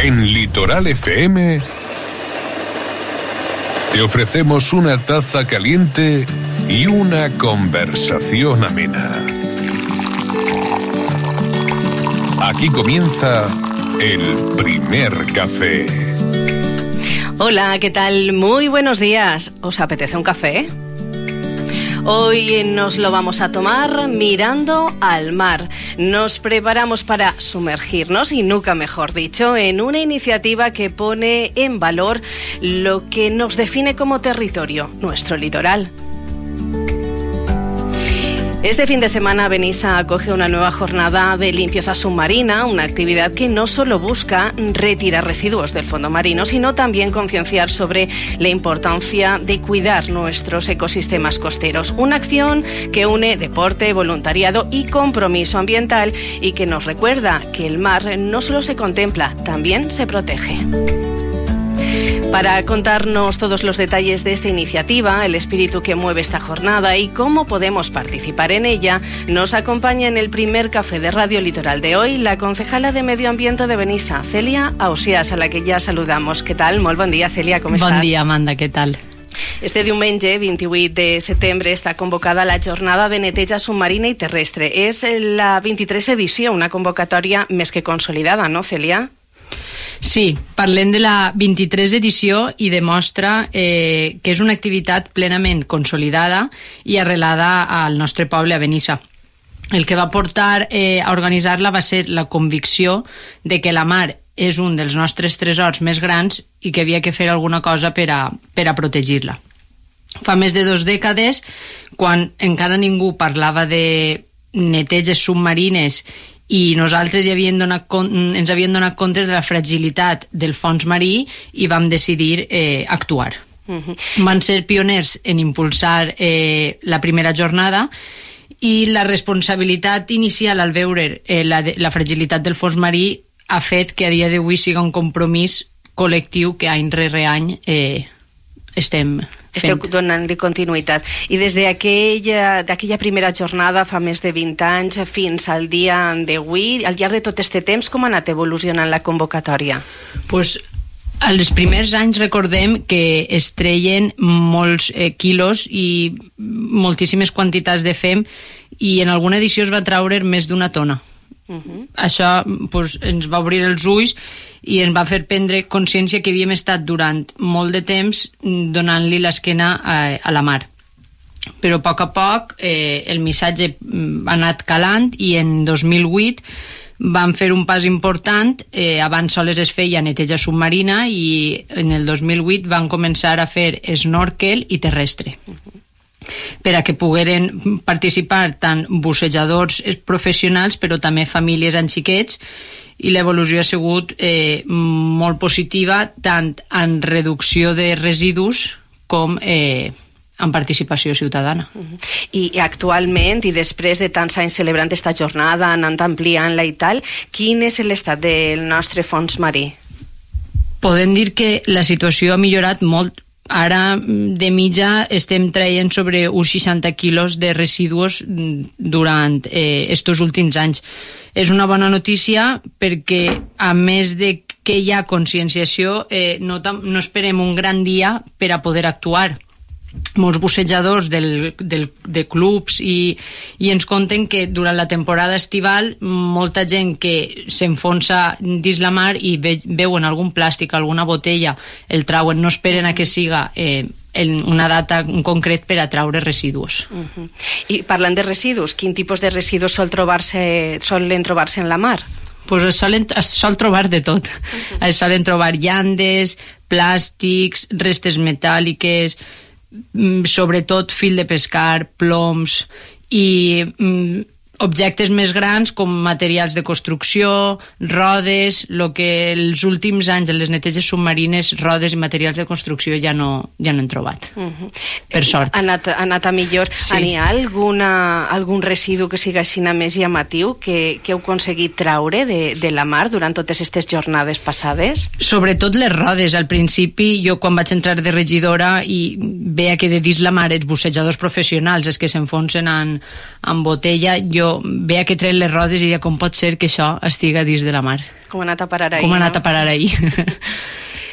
En Litoral FM te ofrecemos una taza caliente y una conversación amena. Aquí comienza el primer café. Hola, ¿qué tal? Muy buenos días. ¿Os apetece un café? Hoy nos lo vamos a tomar mirando al mar. Nos preparamos para sumergirnos, y nunca mejor dicho, en una iniciativa que pone en valor lo que nos define como territorio, nuestro litoral. Este fin de semana Benissa acoge una nueva jornada de limpieza submarina, una actividad que no solo busca retirar residuos del fondo marino, sino también concienciar sobre la importancia de cuidar nuestros ecosistemas costeros. Una acción que une deporte, voluntariado y compromiso ambiental, y que nos recuerda que el mar no solo se contempla, también se protege. Para contarnos todos los detalles de esta iniciativa, el espíritu que mueve esta jornada y cómo podemos participar en ella, nos acompaña en el primer café de Radio Litoral de hoy la concejala de Medio Ambiente de Benissa, Cèlia Ausiàs, a la que ja saludamos. Què tal? Molt bon dia, Cèlia, com estàs? Bon dia, Amanda, què tal? Este diumenge, 28 de setembre, està convocada la jornada de neteja submarina i terrestre. És la 23 edició, una convocatòria més que consolidada, no, Cèlia? Sí, parlem de la 23 edició i demostra que és una activitat plenament consolidada i arrelada al nostre poble, a Benissa. El que va portar a organitzar-la va ser la convicció de que la mar és un dels nostres tresors més grans i que havia que fer alguna cosa per a protegir-la. Fa més de 2 dècades, quan encara ningú parlava de neteges submarines i nosaltres ens havíem donat compte de la fragilitat del fons marí i vam decidir actuar. Van ser pioners en impulsar la primera jornada, i la responsabilitat inicial al veure la fragilitat del fons marí ha fet que a dia d'avui siga un compromís col·lectiu que any rere any estem fent. Esteu donant-li continuïtat. I des d'aquella primera jornada, fa més de 20 anys, fins al dia d'avui, al llarg de tot aquest temps, com ha anat evolucionant la convocatòria? Pues, als primers anys recordem que es treien molts quilos i moltíssimes quantitats de fem, i en alguna edició es va traure més d'1 tona. Això ens va obrir els ulls i ens va fer prendre consciència que havíem estat durant molt de temps donant-li l'esquena a la mar. Però a poc el missatge ha anat calant, i en 2008 vam fer un pas important. Abans sols es feia neteja submarina, i en el 2008 van començar a fer snorkel i terrestre, per a que pogueren participar tant bussejadors professionals, però també famílies amb xiquets, i l'evolució ha sigut molt positiva, tant en reducció de residus com en participació ciutadana. I actualment, i després de tants anys celebrant aquesta jornada, anant ampliant-la i tal, quin és l'estat del nostre fons marí? Podem dir que la situació ha millorat molt. Ara, de mitja, estem traient sobre uns 60 quilos de residus durant estos últims anys. És una bona notícia perquè, a més de que hi ha conscienciació, no esperem un gran dia per a poder actuar. Molts bussejadors de clubs i ens conten que durant la temporada estival molta gent que s'enfonsa dins la mar i veuen algun plàstic, alguna botella, el trauen, no esperen a que siga en una data en concret per a traure residus. I parlant de residus, quin tipus de residus solen trobar-se en la mar? Es sol trobar de tot. Es solen trobar llandes, plàstics, restes metàl·liques, sobretot fil de pescar, ploms i objectes més grans com materials de construcció, rodes, el que els últims anys en les neteges submarines, rodes i materials de construcció ja no hem trobat. Per sort. Ha anat a millor. Sí. Hi ha algun residu que sigui així més llamatiu que heu aconseguit traure de la mar durant totes aquestes jornades passades? Sobretot les rodes. Al principi, jo quan vaig entrar de regidora i veia que de dins la mar els bussejadors professionals, els que s'enfonsen en botella, jo però veia que tret les rodes i deia com pot ser que això estiga dins de la mar. Com ha anat a parar ahir. Com ha anat a parar ahir.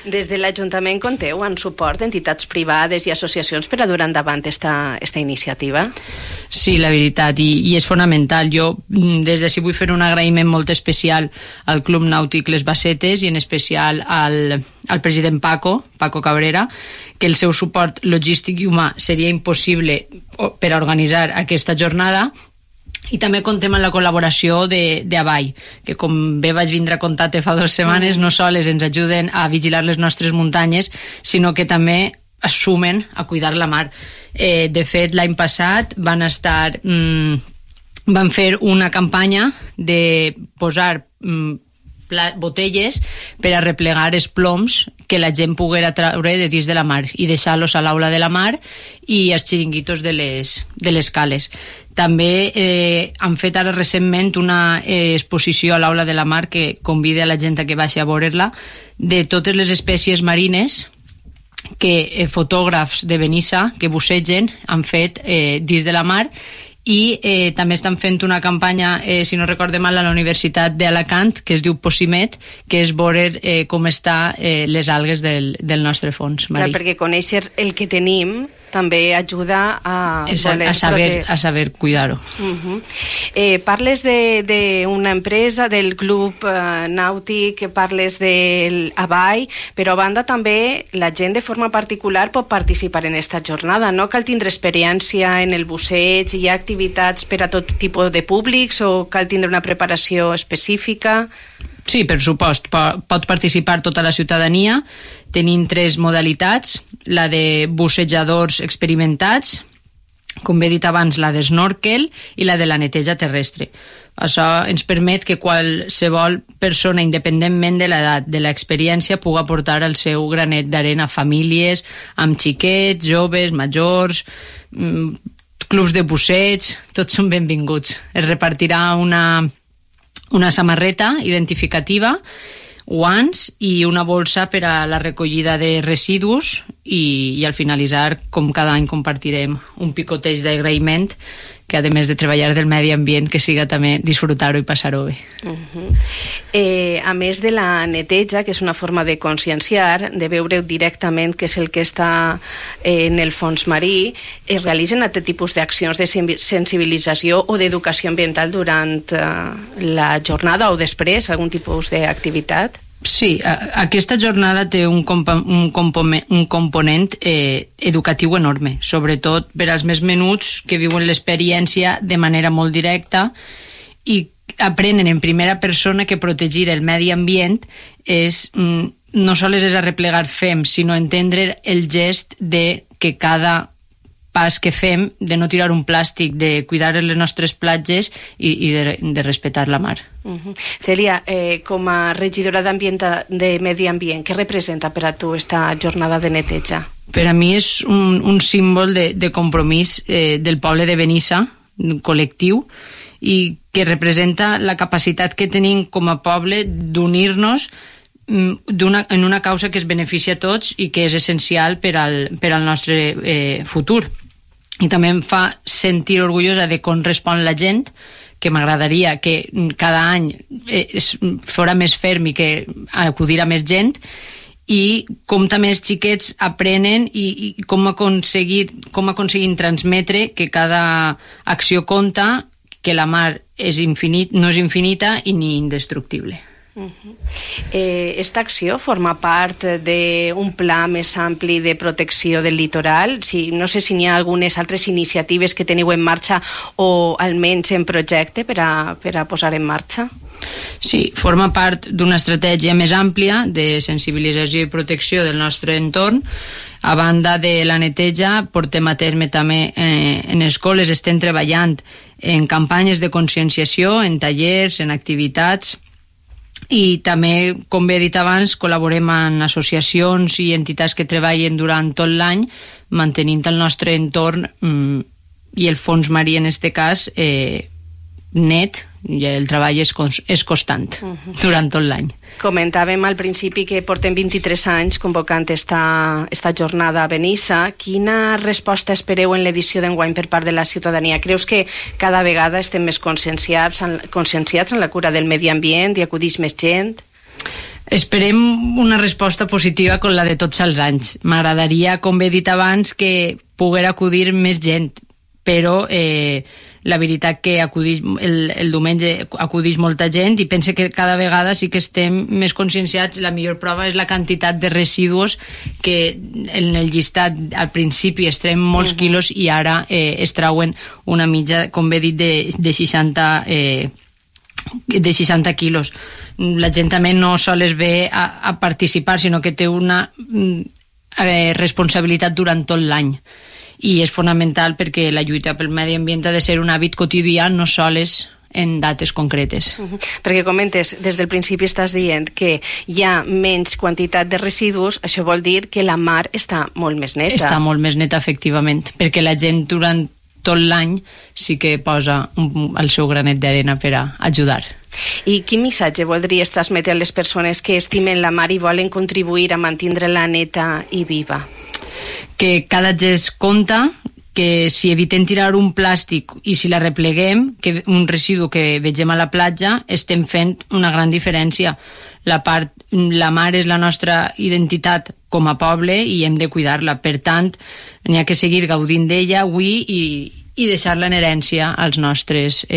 Des de l'Ajuntament compteu en suport d'entitats privades i associacions per a dur endavant esta iniciativa? Sí, la veritat, i és fonamental. Jo des d'ací vull fer un agraïment molt especial al Club Nàutic Les Bassetes i en especial al president Paco Cabrera, que el seu suport logístic i humà seria impossible per a organitzar aquesta jornada. I també contem amb la col·laboració d'Avall, que com bé vaig vindre a contar-te fa 2 setmanes, no sols ens ajuden a vigilar les nostres muntanyes, sinó que també es sumen a cuidar la mar. De fet, l'any passat van fer una campanya de posar botelles per a replegar els ploms que la gent poguera treure de dins de la mar i deixar-los a l'aula de la mar i als xiringuitos de les cales. També han fet ara recentment una exposició a l'aula de la mar que convida a la gent a que vagi a veure-la de totes les espècies marines que fotògrafs de Benissa que bussegen han fet dins de la mar i també estan fent una campanya, si no recorde mal, a la Universitat d'Alacant, que es diu Possimet, que és veure com estan les algues del nostre fons marí. Clar, perquè conèixer el que tenim també ajuda a saber cuidar-ho. Parles d'una empresa, del club nàutic, parles del Avall, però a banda també la gent de forma particular pot participar en aquesta jornada. No cal tindre experiència en el busseig, hi ha activitats per a tot tipus de públics o cal tindre una preparació específica? Sí, per supost, pot participar tota la ciutadania. Tenim 3 modalitats, la de bussejadors experimentats, com he dit abans, la d'snorkel i la de la neteja terrestre. Això ens permet que qualsevol persona, independentment de l'edat, de l'experiència, pugui aportar el seu granet d'arena a famílies, amb xiquets, joves, majors, clubs de busseig, tots són benvinguts. Es repartirà una samarreta identificativa, guants i una bolsa per a la recollida de residus i al finalitzar, com cada any, compartirem un picoteig d'agraïment que, a més de treballar del medi ambient, que siga també disfrutar-ho i passar-ho bé. A més de la neteja, que és una forma de conscienciar, de veure directament què és el que està en el fons marí, es realitzen aquest tipus d'accions de sensibilització o d'educació ambiental durant la jornada o després, algun tipus d'activitat? Sí, aquesta jornada té un component educatiu enorme, sobretot per als més menuts que viuen l'experiència de manera molt directa i aprenen en primera persona que protegir el medi ambient no sols és arreplegar fem, sinó entendre el gest de que cada pas que fem de no tirar un plàstic, de cuidar les nostres platges i de respectar la mar. Cèlia, com a regidora de Medi Ambient, què representa per a tu esta jornada de neteja? Per a mi és un símbol de compromís del poble de Benissa, col·lectiu, i que representa la capacitat que tenim com a poble d'unir-nos en una causa que es beneficia a tots i que és essencial per al nostre futur. I també em fa sentir orgullosa de com respon la gent, que m'agradaria que cada any fora més ferm i que acudirà més gent, i com també els xiquets aprenen i com aconseguim transmetre que cada acció compta, que la mar no és infinita i ni indestructible. Esta acció forma part d'un pla més ampli de protecció del litoral? No sé si hi ha algunes altres iniciatives que teniu en marxa o almenys en projecte per a posar en marxa? Sí, forma part d'una estratègia més àmplia de sensibilització i protecció del nostre entorn. A banda de la neteja, portem a terme també en escoles, estem treballant en campanyes de conscienciació, en tallers, en activitats, i també, com bé he dit abans, col·laborem amb associacions i entitats que treballen durant tot l'any mantenint el nostre entorn i el fons marí en aquest cas net i el treball és constant durant tot l'any. Comentàvem al principi que portem 23 anys convocant esta jornada a Benissa. Quina resposta espereu en l'edició d'enguany per part de la ciutadania? Creus que cada vegada estem més conscienciats en la cura del medi ambient i acudix més gent? Esperem una resposta positiva com la de tots els anys. M'agradaria, com he dit abans, que poguera acudir més gent, però la veritat que el diumenge acudix molta gent i pense que cada vegada sí que estem més conscienciats. La millor prova és la quantitat de residus que en el llistat al principi es treuen molts quilos i ara es trauen una mitja, com he dit, de 60 quilos. La gent també no sols ve a participar, sinó que té una responsabilitat durant tot l'any. I és fonamental perquè la lluita pel medi ambient ha de ser un hàbit quotidià, no sols en dates concretes. Perquè comentes, des del principi estàs dient que hi ha menys quantitat de residus, això vol dir que la mar està molt més neta. Està molt més neta, efectivament, perquè la gent durant tot l'any sí que posa el seu granet d'arena per a ajudar. I quin missatge voldries transmetre a les persones que estimen la mar i volen contribuir a mantenir-la neta i viva? Que cada gest compta, que si evitem tirar un plàstic i si la repleguem, que un residu que vegem a la platja, estem fent una gran diferència. La mar és la nostra identitat com a poble i hem de cuidar-la. Per tant, n'hi ha que seguir gaudint d'ella avui i deixar-la en herència als nostres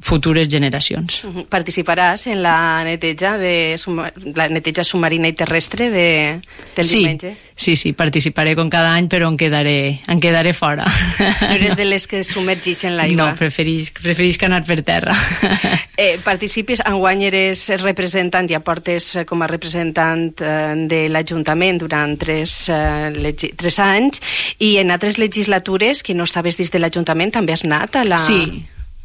futures generacions. Participaràs en la neteja submarina i terrestre del diumenge? Sí, participaré com cada any, però em quedaré fora. No eres de les que submergeixen l'aigua? No, preferís que anar per terra. Participes, enguany eres representant, ja portes com a representant de l'Ajuntament durant 3 anys, i en altres legislatures que no estaves dins de l'Ajuntament també has anat a la...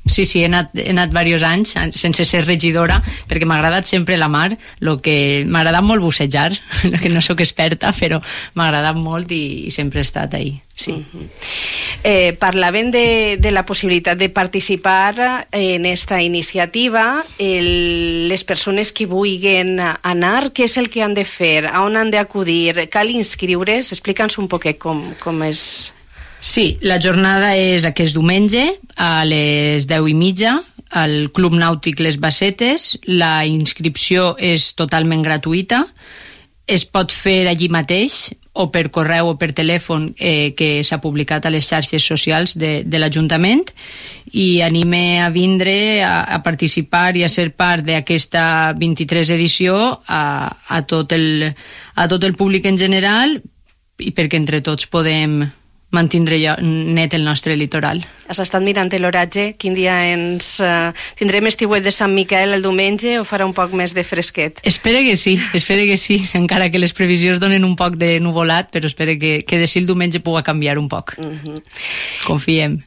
Sí, he anat diversos anys sense ser regidora, perquè m'ha agradat sempre la mar, m'ha agradat molt bussejar, que no sóc experta, però m'ha agradat molt i sempre he estat ahí. Sí. Parlàvem de la possibilitat de participar en esta iniciativa. Les persones que vulguin anar, què és el que han de fer? A on han d'acudir? Cal inscriure's? Explica'ns un poquet com és... Sí, la jornada és aquest diumenge a les 10:30 al Club Nàutic Les Bassetes. La inscripció és totalment gratuïta. Es pot fer allí mateix o per correu o per telèfon que s'ha publicat a les xarxes socials de l'Ajuntament, i anime a vindre a participar i a ser part d'aquesta 23 edició a tot el públic en general, i perquè entre tots podem mantindre net el nostre litoral. Has estat mirant l'oratge? Quin dia tindrem estiuet de Sant Miquel el diumenge o farà un poc més de fresquet? Espero que sí, encara que les previsions donen un poc de nuvolat, però espero que de si el diumenge pugui canviar un poc. Confiem.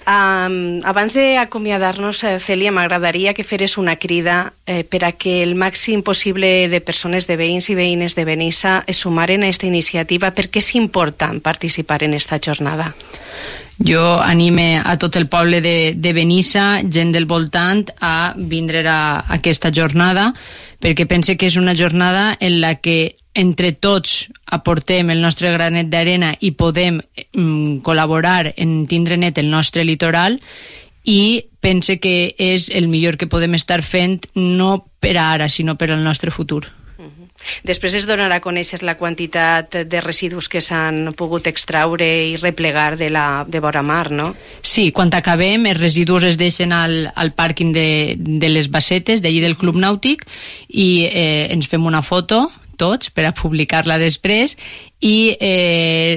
Abans d'acomiadar-nos, Cèlia, m'agradaria que feres una crida per a que el màxim possible de persones, de veïns i veïnes de Benissa es sumaren a aquesta iniciativa, perquè és important participar en esta jornada. Jo anime a tot el poble de Benissa, gent del voltant, a vindre a aquesta jornada, perquè pense que és una jornada en la que entre tots aportem el nostre granet d'arena i podem col·laborar en tindre net el nostre litoral, i pense que és el millor que podem estar fent, no per ara, sinó per al nostre futur. Després es donarà a conèixer la quantitat de residus que s'han pogut extraure i replegar de vora mar, no? Sí, quan acabem, els residus es deixen al pàrquing de les Bassetes, d'allí del Club Nàutic, i ens fem una foto tots per a publicar-la després, i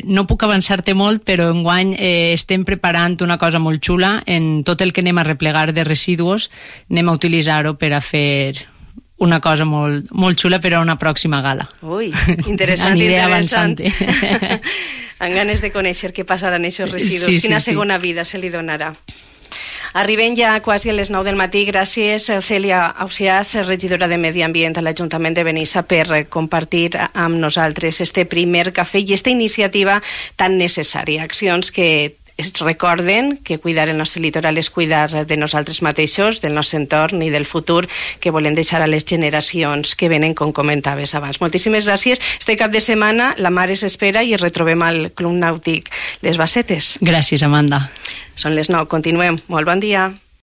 no puc avançar-te molt, però enguany estem preparant una cosa molt xula. En tot el que anem a replegar de residus anem a utilitzar-ho per a fer una cosa molt, molt xula per a una pròxima gala. Ui, interessant. Aniré avançant. Amb ganes de conèixer què passarà en aquests residus. Quina segona vida se li donarà. Arribem ja quasi a les 9 del matí. Gràcies, Cèlia Ausiàs, regidora de Medi Ambient a l'Ajuntament de Benissa, per compartir amb nosaltres este primer cafè i esta iniciativa tan necessària. Accions que es recorden que cuidar el nostre litoral és cuidar de nosaltres mateixos, del nostre entorn i del futur que volem deixar a les generacions que venen, com comentaves abans. Moltíssimes gràcies. Este cap de setmana la Mare s'espera i es retrobem al Club Nàutic Les Bassetes. Gràcies, Amanda. Són les 9, continuem. Molt bon dia.